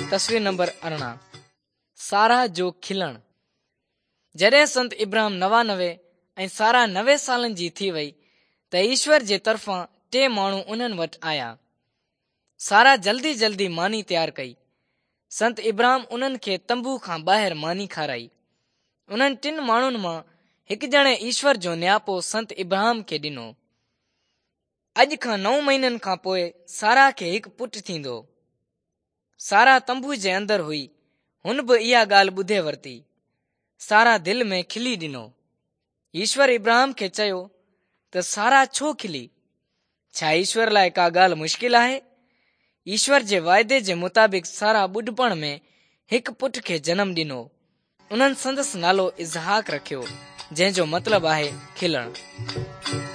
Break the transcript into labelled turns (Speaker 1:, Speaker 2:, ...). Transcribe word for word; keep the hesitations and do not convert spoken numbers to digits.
Speaker 1: تصوير نمبر ارڙهن، سارا جو کلڻ. جڏهن سنت ابراهام نوانوي ۽ سارا نوي سالن جي ٿي وئي ته ايشور جي طرفان ٽي ماڻهو انهن وٽ آيا. سارا جلدي جلدي ماني تيار ڪئي. سنت ابراهام انهن کي تنبو کان ٻاهر ماني کارائي. انهن ٽن ماڻهن مان هڪ ڄڻي ايشور جو نياپو سنت ابراهام کي ڏنو. اڄ کان نو مهينن کان پوءِ سارا کي هڪ پٽ ٿيندو. سارا تنبو جي اندر هئي. هن به اها ڳالهه ٻڌي ورتي. سارا دل ۾ کلي ڏنو. ايشور ابراهام کي چيو ته سارا ڇو کلي؟ ڇا ايشور لاءِ ڪا ڳالهه مشڪل آهي؟ ايشور جي واعدي جي مطابق سارا ٻڍپڻ ۾ هڪ پٽ کي جنم ڏنو. انهن سندس نالو اسحاق رکيو، جنهن جو مطلب آهي کلڻ.